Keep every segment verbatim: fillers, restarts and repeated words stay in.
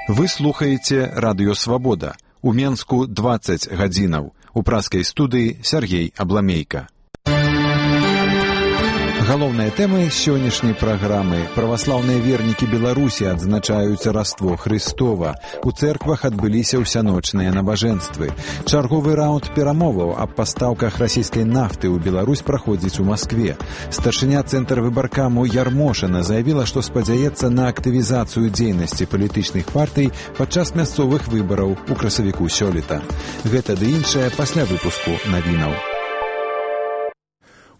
Вы слухаеце Радыё Свабода. У Менску дваццаць гадзінаў. У праскай студыі Сергей Абламейка. Галоўныя тэмы сённяшняй праграмы. Праваслаўныя вернікі Беларусі адзначаюць Раство Хрыстова. У цэрквах адбыліся ўсяночныя набажэнствы. Чарговы раунд перамоваў аб пастаўках расійскай нафты ў Беларусь праходзіць у Маскве. Старшыня цэнтр выбаркаму Ярмошына заявіла, што спадзяецца на актывізацыю дзейнасці палітычных партый падчас мясцовых выбараў у красавіку сёлета. Гэта ды іншае пасля выпуску навінаў.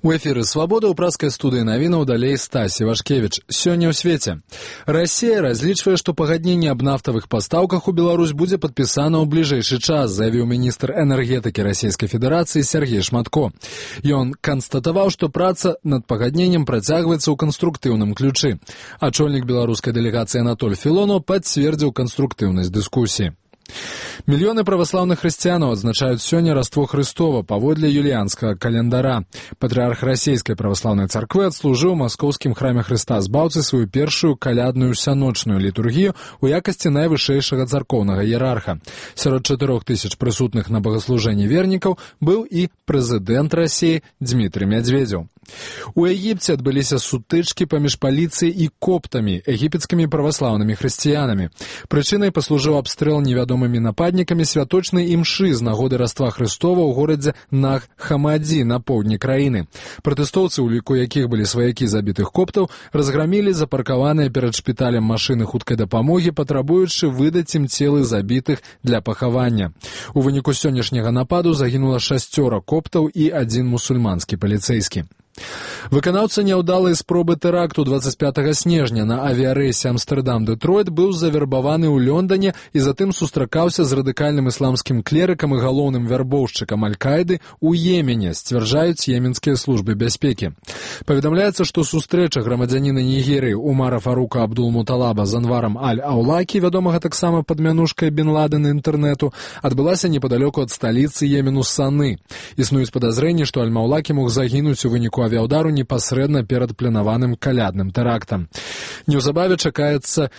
У эфіры «Свабода» ў праскай студыі навінаў далей Стась Івашкевіч. Сёння ў свеце. Расія разлічвае, што пагадненне аб нафтавых пастаўках у Беларусь будзе падпісана ў бліжэйшы час, заявіў міністр энергетыкі Расійскай Федэрацыі Сергей Шматко. Ён канстатаваў, што праца над пагадненнем працягваецца ў канструктыўным ключы. Ачольнік беларускай дэлегацыі Анатоль Філонаў пацвердзіў канструктыўнасць дыскусіі. Мільёны праваслаўных хрысціянаў адзначаюць сёння Раство Хрыстова паводле юліянскага календара. Патрыарх расійскай праваслаўнай царквы адслужыў у маскоўскім храме Хрыста Збаўцы сваю першую калядную ўсяночную літургію ў якасці найвышэйшага царкоўнага іерарха. Сярод чатырох тысяч прысутных на богаслужэнні вернікаў быў і прэзідэнт Расіі Дзмітрый Мядзведзеў. У Егіпце адбыліся сутычкі паміж паліцыяй і коптамі, егіпецкімі праваслаўнымі хрысціянамі. Прычынай паслужыў абстрэл невядомымі нападнікамі святочнай імшы з нагоды Раства Хрыстова ў горадзе Наг-Хамадзі на поўдні краіны. Пратэстоўцы, у ліку якіх былі сваякі забітых коптаў, разграмілі запаркаваныя перад шпіталем машыны хуткай дапамогі, патрабуючы выдаць ім целы забітых для пахавання. У выніку сённяшняга нападу загінула шасцёра коптаў і адзін мусульманскі паліцэйскі. Выканаўца няўдалай спробы тэракту дваццаць пятага снежня на авіярэйсе Амстэрдам-Дэтройт быў завербаваны ў Лондоне і затым сустракаўся з радыкальным ісламскім клерыкам і галоўным вярбоўшчыкам Аль-Каіды ў Йемене, сцвярджаюць йеменскія службы бяспекі. Паведамляецца, што сустрэча грамадзяніна Нігерыі Умара Фарука Абдул-Муталаба з Анварам Аль-Аулакі, вядомага таксама пад мянушкай Бін Ладена інтэрнэту, адбылася непадалёку ад сталіцы Йемену Саны. Існуюць падазрэнні, што Аль-Маўлакі мог загінуць у выніку авіаудару непасрэдна перад планаваным калядным тэрактам. Неўзабаве чакаецца,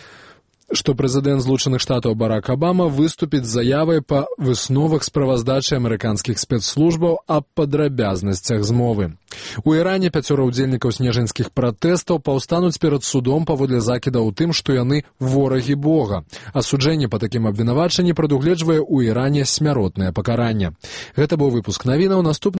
што прэзідэнт Злучаных Штатаў Барак Абама выступіць з заявай па высновах справаздачы амерыканскіх спецслужбаў аб падрабязнасцях змовы. У Іране пяцёра ўдзельнікаў снежаньскіх пратэстаў паўстануць перад судом паводле закідаў у тым, што яны ворагі Бога. Асуджэнне па такім абвінавачанні прадугледжвае ў Іране смяротнае пакаранне. Гэта быў выпуск навінаў. Наступны